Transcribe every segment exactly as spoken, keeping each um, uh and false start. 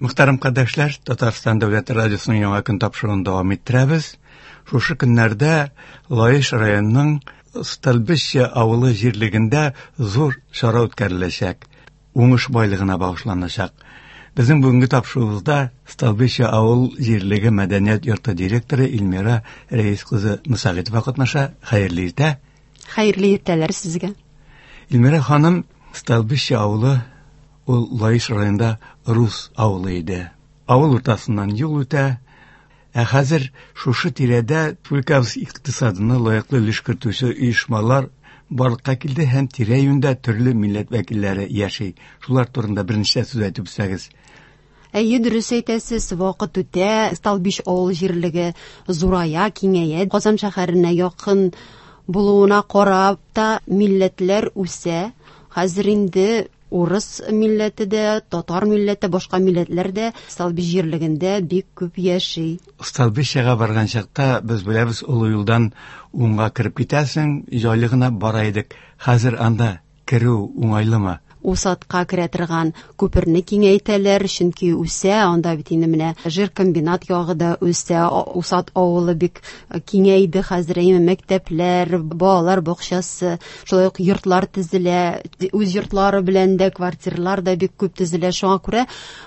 Мөхтәрәм кардәшләр, Татарстан Дәүләт радиосының яңа көн тапшыруын дәвам иттерәбез. Шушы көннәрдә Лаеш районының Столбище авылы җирлегендә зур чара үткәреләчәк. Уңыш байлыгына багышланачак. Безнең бүгенге тапшыруыбызда Столбище авыл җирлеге мәдәният йорты директоры Эльмира Рәис кызы Мусагитова катнаша. Хәерле иртә. Хәерле иртәләр сезгә. Эльмира ханым, Столбище авылы ул Лаеш районында рус авылы иде. Авыл уртасыннан юл үтә. Ә хәзер шушы тирәдә республикабыз икътисадына лаеклы өлеш кертүче оешмалар барлыкка килде һәм тирә-юньдә төрле милләт вәкилләре яши. Шулар турында берничә сүз әйтеп үтсәгез. Әйе, дөрес әйтәсез, вакыт үтә, Столбище авыл җирлеге зурая, киңәя. Казан шәһәренә якын булуына карап та милләтләр үсә. Хәзер инде урыс милләте дә, татар милләте, башка милләтләр дә Столбище җирлегендә бик күп яши. Столбищега барган чакта без беләбез, олы юлдан уңга кереп китәсең, җайлы гына бара идек. Хәзер анда керү уңайлымы? Усатка керә торган күперне киңәйтәләр, чөнки үсә, анда бит инде менә жиркомбинат ягы да үсә, Усат авылы бик киңәйде хәзер, әйме мәктәпләр, балалар бакчасы, шулай ук йортлар төзелә, үз йортлары белән дә квартиралар да бик күп төзелә. Шуңа күрә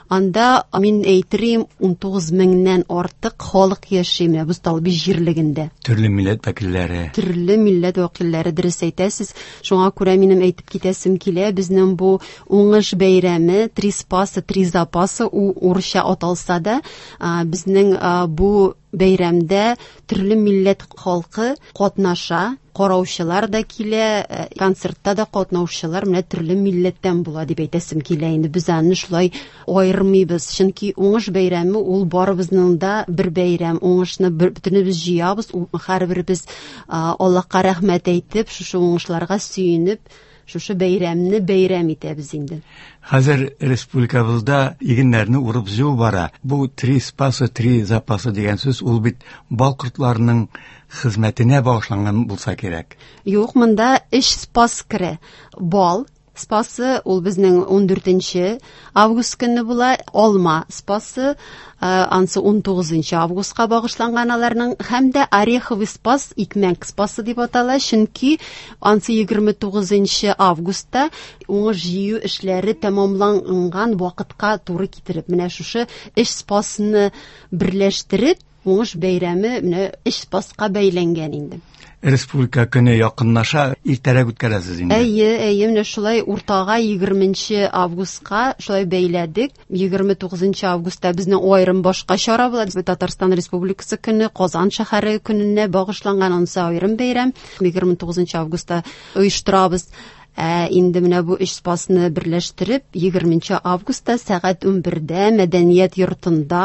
анда, мин әйтерим, ун тугыз меңнән артык халык яши менә бу Столбище җирлегендә. Төрле милләт вәкилләре. Төрле милләт вәкилләре, дөрес әйтәсез. Шуңа күрә минем әйтеп китәсем килә, безнең бу уңыш бәйрәме, три спаса, три запаса, у урысча аталса да, а, безнең, а, бу бәйрәмдә төрле милләт халкы катнаша, караучылар да килә, э, концертта да катнаучылар менә төрле милләттән була дип әйтәсем килә инде. Без аны шулай аермыйбыз, чөнки уңыш бәйрәме ул барыбызның да бер бәйрәм. Уңышны бер, бөтенебез җыябыз, ул һәрберебез, а, Аллаһка рәхмәт әйтеп, шушы уңышларга сөенеп, шушы бәйрәмне бәйрәм итәбез инде. Хәзер республикабызда игеннәрне урып җыю бара. Бу три спаса, три запаса дигән сүз ул бит бал кортларының хезмәтенә багышланган булса кирәк. Юк, монда өч спас керә. Бал спасы ул безнең ун дүртенче август көнне була, алма спасы, э, ансы ун тугызынчы августка багышланган аларның, һәм дә ореховый спас, икмәк спасы дип атала, чөнки ансы егерме тугызынчы августта уңыш җыю эшләре тәмамланган вакытка туры китереп, менә шушы өч спасны берләштереп, уңыш бәйрәме менә өч спаска бәйләнгән инде. Республика көне якынлаша, иртәрәк үткәрәсез инде. Әйе, әйе, менә шулай уртага егерменче августка шулай бәйләдек. Егерме тугызынчы августта безнең аерым башка чара була. Татарстан Республикасы көне, Казан шәһәре көненә багышланган ансы аерым бәйрәм. Егерме тугызынчы августта оештырабыз. Ә инде менә бу өч спасны берләштереп, егерменче августта сәгать унбердә мәдәният йортында,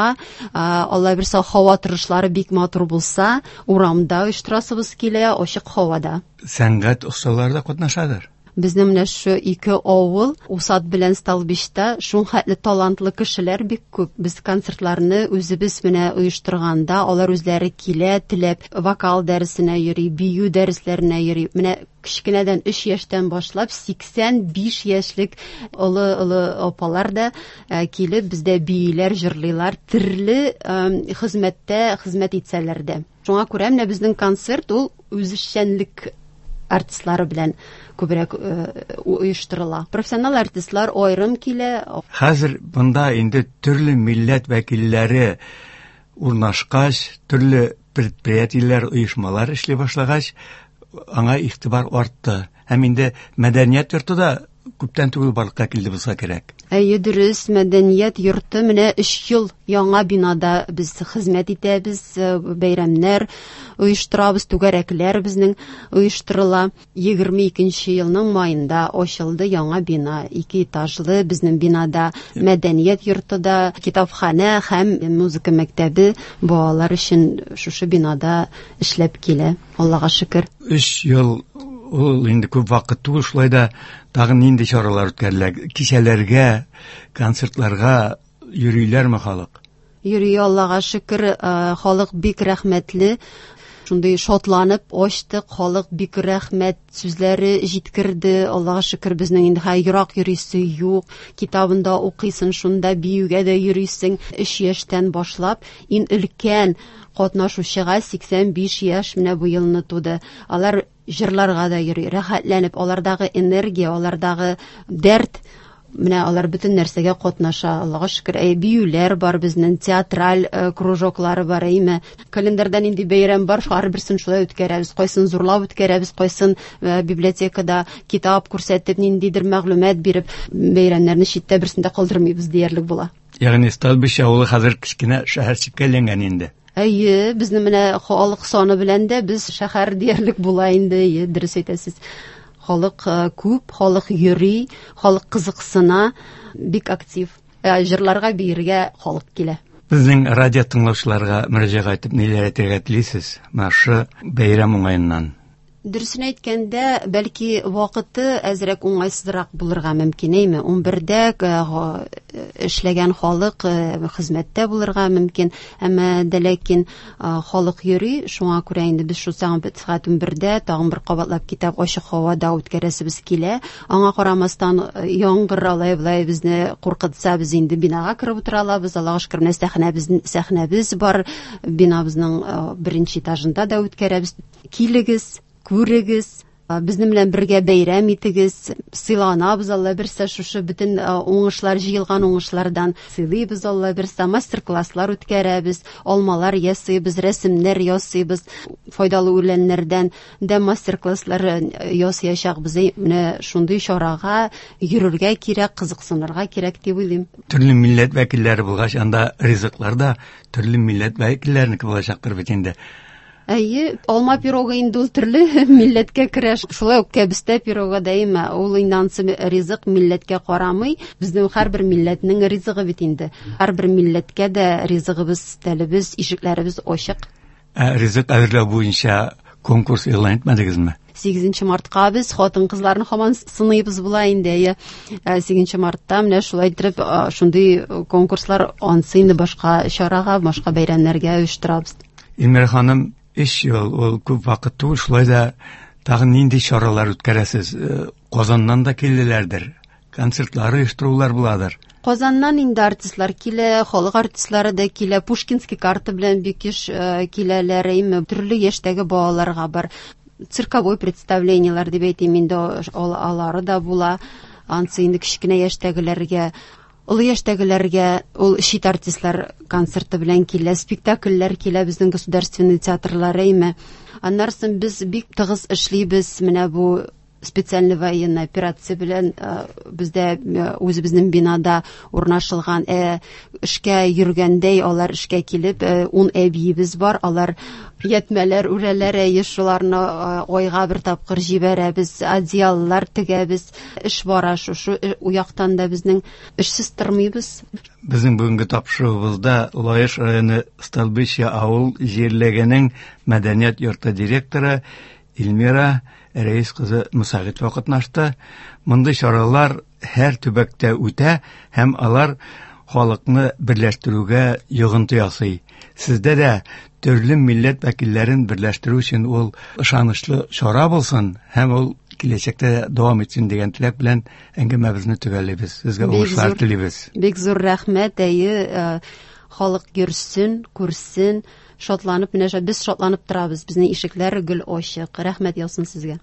а, Алла бирсә, һава торышлары бик матур булса, урамда оештырасыбыз килә, ачык һавада. Сәнгать осталары да катнашадыр. Безнең менә шу ике авыл, Усат белән Столбищта, шул хәтле талантлы кешеләр бик күп. Без концертларны үзебез менә оештырганда, алар үзләре килә, теләп вокал дәресенә йөри, бию дәресләренә йөри. Менә кечкенәдән өч яшьтән башлап сиксән биш яшьлек олы-олы апалар да, э, килеп бездә бииләр, җырлыйлар, төрле, э, хезмәттә хезмәт итсәләр дә. Шуңа күрә менә безнең концерт ул үзешчәнлек артистлары белән күбрәк, э, оештырыла. Профессионал артистлар аерым килә. Хәзер монда инде төрле милләт вәкилләре урнашкач, төрле предприятиеләр, оешмалар эшли башлагач, аңа игътибар артты. Һәм инде мәдәният йорты да күптән түгел барлыкка килде булса кирәк. Әйе, дөрес, мәдәният йорты менә өч ел яңа бинада без хезмәт итәбез, э, бәйрәмнәр оештырабыз, түгәрәкләр безнең оештырыла. Егерме икенче елның майында ачылды яңа бина, ике этажлы безнең бинада мәдәният йорты да, китапханә һәм музыка мәктәбе балалар өчен шушы бинада эшләп килә. Аллага шөкер. Өч ел ул инде күп вакыт түгел, шулай да тагын нинди чаралар үткәрелә? Кичәләргә, концертларга йөриләрме халык? Йөри, Аллага шөкер, э, халык бик рәхмәтле. Шундый шатланып ачтык, халык бик рәхмәт сүзләре җиткерде. Аллага шөкер, безнең инде хәй ерак йөрисе юк. Китабында укыйсың, шунда биюгә дә йөрисең. Өч яшьтән башлап иң өлкән катнашучыга сиксән биш яшь менә бу елны туды. Алар җырларга да йөри, рәхәтләнеп, алардагы энергия, алардагы дәрт, менә алар бөтен нәрсәгә катнаша. Аллага шөкер, әй, биюләр бар безнең, театраль, э, кружоклары бар, әйме. Календарьда нинди бәйрәм бар, һәрберсен шулай үткәрәбез. Кайсын зурлап үткәрәбез, кайсын, э, библиотекада китап күрсәтеп, ниндидер мәгълүмат биреп, бәйрәмнәрне читтә берсен дә калдырмыйбыз диярлек була. Ягъни Столбище авылы хәзер кечкенә шәһәрчеккә әйләнгән инде. Әйе, безнең менә халык саны белән дә без шәһәр диярлек була инде, әйе, дөрес әйтәсез. Халык, э, күп, халык йөри, халык кызыксына, бик актив. Э, җырларга, биергә халык килә. Безнең радио тыңлаучыларга мөрәҗәгать итеп ниләр әйтергә телисез? Менә шу бәйрәм уңаеннан. Дөресен әйткәндә, бәлки вакыты әзрәк уңайсызрак булырга мөмкин, әйме? Унбердә, э, га-, эшләгән халык, э, хезмәттә булырга мөмкин, әмма дә ләкин, э, халык йөри, шуңа күрә инде без шул сәгать унбердә тагын бер кабатлап китап ачык һавада үткәрәсебез килә. Аңа карамастан, э, яңгыр алай болай безне куркытса, без инде бинага кереп утыра алабыз. Аллага шөкер, менә сәхнәбез, сәхнәбез бар, бинабызның, э, беренче этажында да үткәрәбез. Килегез, күрегез, безнең белән бергә бәйрәм итегез, сыйланабыз Алла бирсә, шушы бөтен, а, уңышлар, җыелган уңышлардан сыйлыйбыз Алла бирсә, мастер-класслар үткәрәбез, алмалар ясыйбыз, рәсемнәр ясыйбыз, файдалы үләннәрдән дә мастер-класслар, э, ясаячакбыз. Әй, менә шундый чарага йөрергә кирәк, кызыксынырга кирәк дип уйлыйм. Төрле милләт вәкилләре булгач, анда ризыклар да төрле милләт вәкилләренеке булачактыр бит инде. Әйе, алма пирогы инде ул төрле милләткә керә. Шулай ук кәбестә пирогы да әйме, ул инде ансы ризык милләткә карамый. Безнең һәрбер милләтнең ризыгы бит инде. Һәрбер милләткә дә ризыгыбыз, телебез, ишекләребез ачык. Ә ризык әзерләү буенча конкурс игълан итмәдегезме? Сигезенче мартка без хатын-кызларны һаман сыныйбыз була инде. Әйе, ә, сигезенче мартта менә шулай итеп, а, шундый конкурслар ансы инде башка чарага, башка бәйрәмнәргә оештырабыз. Эльмира ханым, өч ел ул күп вакыт түгел, шулай да тагын нинди чаралар үткәрәсез? Э, Казаннан да килделәрдер, концертлар оештырулар буладыр. Казаннан инде артистлар килә, халык артистлары да килә, Пушкинский карта белән бик еш, э, киләләр, әйме, төрле яшьтәге балаларга бар. Цирковой представлениелар дип әйтим инде, ал-, алары да була. Ансы инде кечкенә яшьтәгеләргә, олы яшьтәгеләргә ул чит артистлар концерты белән килә, спектакльләр килә безнең государственный театрлар, әйме. Аннан соң без бик тыгыз эшлибез, менә бу специальный военная операция белән, э, бездә, э, үзебезнең бинада урнашылган, э, эшкә йөргәндәй алар эшкә килеп, э, ун әбиебез бар, алар ятмәләр үрәләр, әйе, шуларны, э, айга бер тапкыр җибәрәбез, одеяллар тегәбез. Эш бара шушы, э, уяктан да безнең эшсез тормыйбыз. Безнең бүгенге тапшыруыбызда Лаеш районы Столбище авыл җирлегенең мәдәният йорты директоры Эльмира Рәис кызы Мусагитова катнашты. Мондый чаралар һәр төбәктә үтә һәм алар халыкны берләштерүгә йогынты ясый. Сездә дә төрле милләт вәкилләрен берләштерү өчен ул ышанычлы чара булсын һәм ул киләчәктә дәвам итсен дигән теләк белән әңгәмәбезне төгәллибез. Сезгә Бик уңышлар зур телибез. Бик зур рәхмәт, әйе, э, халык йөрсен, күрсен, шатланып, менә без шатланып торабыз. Безнең ишекләр гел ачык. Рәхмәт яусын сезгә.